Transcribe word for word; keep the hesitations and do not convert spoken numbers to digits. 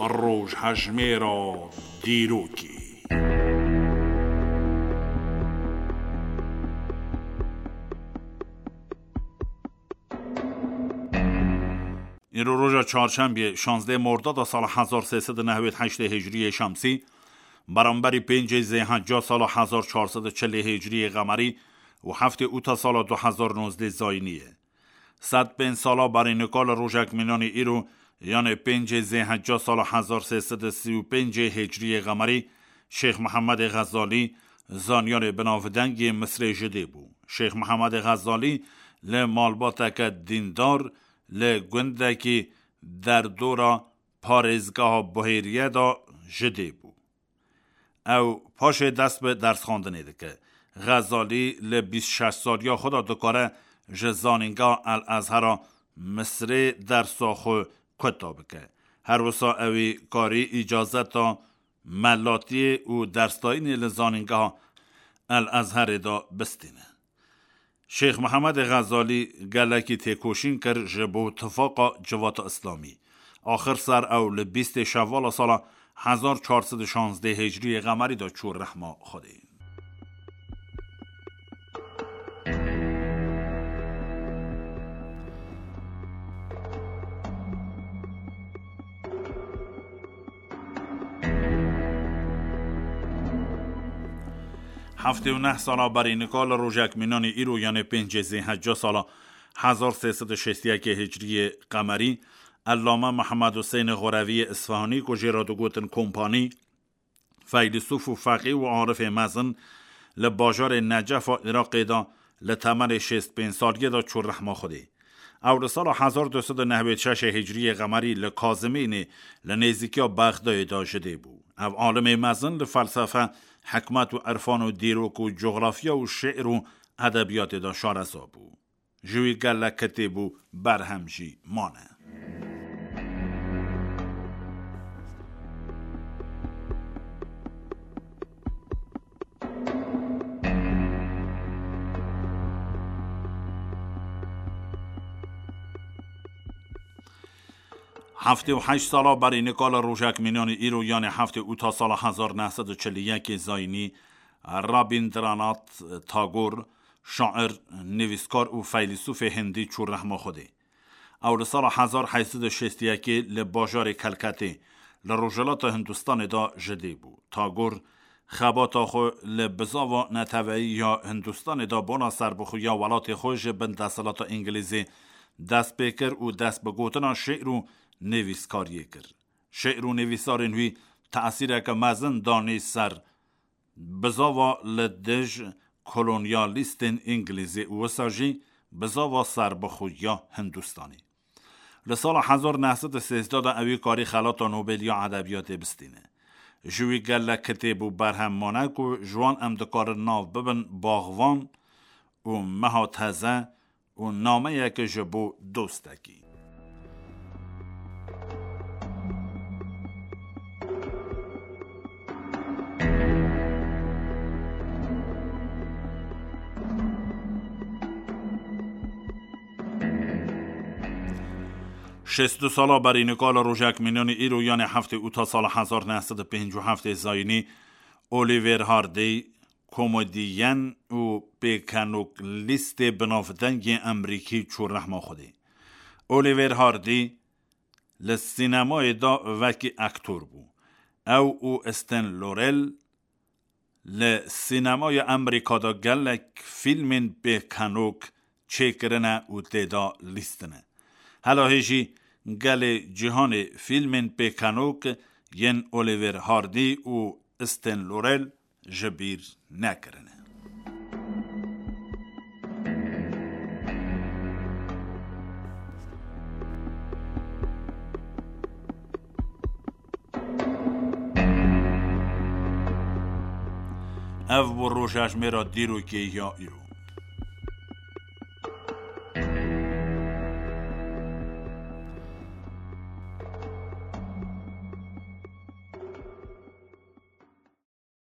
Rojhejmêra dîrokê. Îro roja çarşembiyê, şazdeh Mordada sala hezar sê sed û newêd heştê Hicriyê Şemsî, beramberî pêncê Zêhecca sala hezar çar sed û çilê Hicriyê Qemerî û heftê Ûta sala du hezar nozdeh Zayînî ye. Sed pênc sala berî nika li rojek mînanî îro, yanê pêncê Zêhecca sala hezar sê sed û sî û pêncê Hicriyê Qemerî, Şêx Mihemedê Xezalî, zanyarê binavdeng yê Misrê ji dê bû. Şêx Mihemedê Xezalî li malbateke dîndar li gundekî derdora parêzgeha Buhêriye de ji dê bû. Ew paşê dest bi dersxwendinê dike. Xezalî li bîst şeş saliya xwe de dikare ji Zanîngeha El Ezhera Misrê dersa xwe kuta bike. Her wisa ewî karî îcazeta melatiyê û dersdayînê li Zanîngeha El Ezherê de bistîne. Şêx Mihemedê Xezalî gelekî têkoşîn kir ji bo tifaqa civata Îslamî. Axir ser ew li bîstê Şevala sala hezar çar sed û şazdeh Hicriyê Qemerî de çû rehma Xwedê. Heftê û neh sala berî nika li rojek mînanî îro, yanê pêncê Zêhecca sala hezar sê sed û şêst û yekê Hicriyê Qemerî, Ellame Mihemed Huseyne Xoreviyê Isfahanî ku jê re digotin Kompanî, feylîsûf û feqî û arifê mezin, li bajarê Necefa Iraqê de li temenê şêst pênc saliyê de çû rehma Xwedê. Ew li sala hezar du sed û newêd şeşê Hicriyê Qemerî li Kazimînê, li nêzîkiya Bexdayê de ji dê bû. Ev alimê mezin li felsefe, hikmet û irfan û dîrok û coxrafya û şi'r û edebiyatê de şareza bû. Ji wî gelek kitêb û berhem jî mane. Heftê û heşt sala berî nika li rojek mînanî îro, yanê heftê Ûta sala hezar neh sed û çil û yekê Zayînî, Rabîndranath Tagor, şair, nivîskar û feylîsûfê hindî çû rehma Xwedê. Ew li sala hezar heyt sed û şêst û yekê li bajarê Kelketê, li rojhilata Hindistanê de ji dê bû. Tagor xebata xwe li bizava neteweyî ya Hindistanê de bona serbixweya welatê xwe ji bin desthilata Îngilîzê dest pê kir û dest bi gotina şi'r û nivîskariyê kir. Şi'r û nivîsarên wî tesîreke mezin danî ser bizava li dij kolonyalîstên Îngilîzê û wisa jî bizava serbixweya Hindistanê. Li sala hezar neh sed û sêzdeh de ewî karî Xelata Nobel ya Edebiyatê bistîne. Ji wî gelek kitêb û berhem mane ku ji wan em dikarin nav bibin Baxvan û Meha Teze û Nameyek ji bo Dostekî. Şêst û du sala berî nika li rojek mînanî îro, yanê heftê Ûta sala hezar neh sed û pêncî û heftê Zayînî, Oliver Hardy, komedîyen û pêkenok lîstê binavdengê Emerîkî çû rehma Xwedê. Oliver Hardy li sînemayê de wekî aktor bû. Ew û Stan Laurel li sînemaya Emerîka de gelek fîlmên pêkenok çêkirine û tê de lîstine. Hela hê jî gelê cîhanê fîlmên pêkenok yên Oliver Hardy û Stan Laurel ji bîr nekirine. Ev bû rojhejmêra dîrokê ya îro.